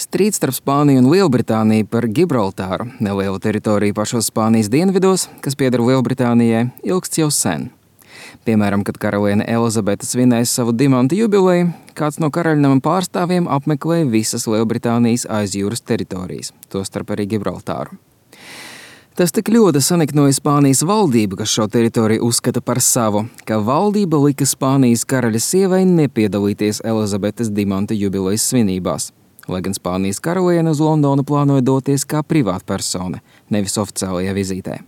Strīds starp Spāniju un Lielbritāniju par Gibraltāru, nelielu teritoriju pašos Spānijas dienvidos, kas pieder Lielbritānijai, ilgsts jau sen. Piemēram, kad karaliene Elizabete svinēja savu dimantu jubileju, kāds no karaļnama pārstāvjiem apmeklēja visas Lielbritānijas aizjūras teritorijas, tostarp arī Gibraltāru. Tas tik ļoti saniknoja Spānijas valdību, kas šo teritoriju uzskata par savu, ka valdība lika Spānijas karaļa sievai nepiedalīties Elizabetes dimanta jubilejas svinībās, lai gan Spānijas karaliene uz Londonu plānoja doties kā privātpersone, nevis oficiālajā vizītē.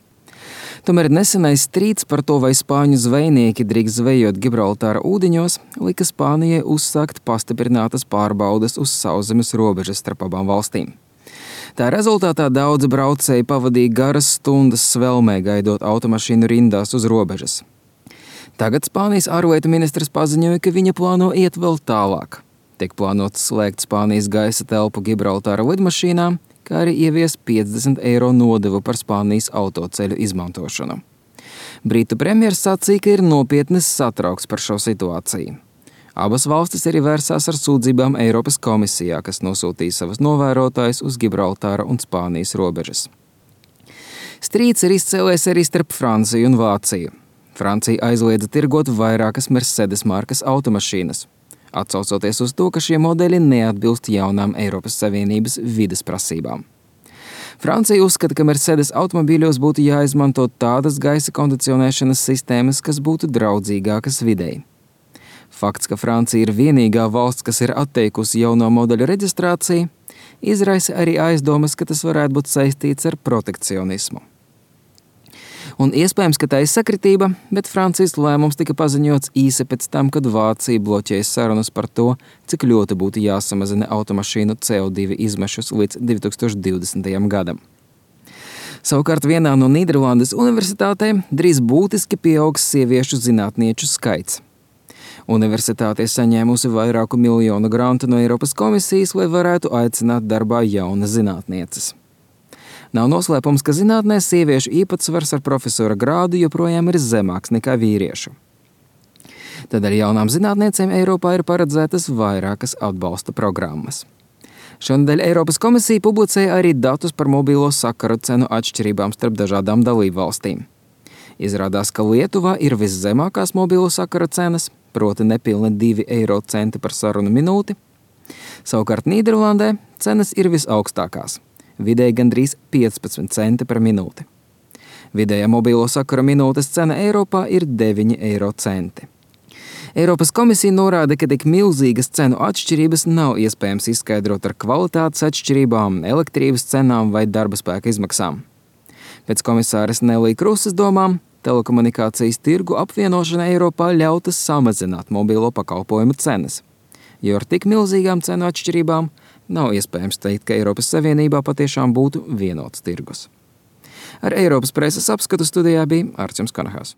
Tomēr nesenais strīds par to, vai spāņu zvejnieki drīkst zvejot Gibraltāra ūdeņos, lika Spānijai uzsākt pastiprinātas pārbaudes uz sauszemes robežas starp abām valstīm. Tā rezultātā daudzi braucēji pavadīja garas stundas svelmē, gaidot automašīnu rindās uz robežas. Tagad Spānijas ārlietu ministrs paziņoja, ka viņa plāno iet vēl tālāk. Tiek plānots slēgt Spānijas gaisa telpu Gibraltāra lidmašīnām, kā arī ievies 50 eiro nodevu par Spānijas autoceļu izmantošanu. Britu premjers sacīja, ka ir nopietnis satraukts par šo situāciju. Abas valstis arī vērsās ar sūdzībām Eiropas komisijā, kas nosūtīja savus novērotājus uz Gibraltāra un Spānijas robežas. Strīds ir izcēlies arī starp Franciju un Vāciju. Francija aizliedza tirgot vairākas Mercedes markas automašīnas, atsaucoties uz to, ka šie modeļi neatbilst jaunām Eiropas Savienības vides prasībām. Francija uzskata, ka Mercedes automobīļos būtu jāizmanto tādas gaisa kondicionēšanas sistēmas, kas būtu draudzīgākas videi. Fakts, ka Francija ir vienīgā valsts, kas ir atteikusi jauno modeļu reģistrāciju, izraisa arī aizdomas, ka tas varētu būt saistīts ar protekcionismu. Un iespējams, ka tā ir sakritība, bet Francijas lēmums tika paziņots īsi pēc tam, kad Vācija bloķēja sarunas par to, cik ļoti būtu jāsamazina automašīnu CO2 izmešus līdz 2020. gadam. Savukārt vienā no Nīderlandes universitātēm drīz būtiski pieaugs sieviešu zinātnieču skaits. Universitāte saņēmusi vairāku miljonu grantu no Eiropas komisijas, lai varētu aicināt darbā jaunas zinātnieces. Nav noslēpums, ka zinātnē sieviešu īpatsvars ar profesora grādu joprojām ir zemāks nekā vīriešu. Tādēļ jaunām zinātniecēm Eiropā ir paredzētas vairākas atbalsta programmas. Šonadēļ Eiropas komisija publicēja arī datus par mobilo sakaru cenu atšķirībām starp dažādām dalību valstīm. Izrādās, ka Lietuvā ir viszemākās mobilo sakaru cenas, proti nepilni 2 eiro centi par sarunu minūti. Savukārt Nīderlandē cenas ir visaugstākās. Vidēji gandrīz 15 centi par minūti. Vidējā mobilo sakara minūtes cena Eiropā ir 9 eiro centi. Eiropas komisija norāda, ka tik milzīgas cenu atšķirības nav iespējams izskaidrot ar kvalitātes atšķirībām, elektrības cenām vai darba spēka izmaksām. Pēc komisāres Nelī Krusas domām, telekomunikācijas tirgu apvienošana Eiropā ļauta samazināt mobilo pakalpojumu cenas, jo ar tik milzīgām cenu atšķirībām nav iespējams teikt, ka Eiropas Savienībā patiešām būtu vienots tirgus. Ar Eiropas preses apskatu studijā bija Arčuns Kanahās.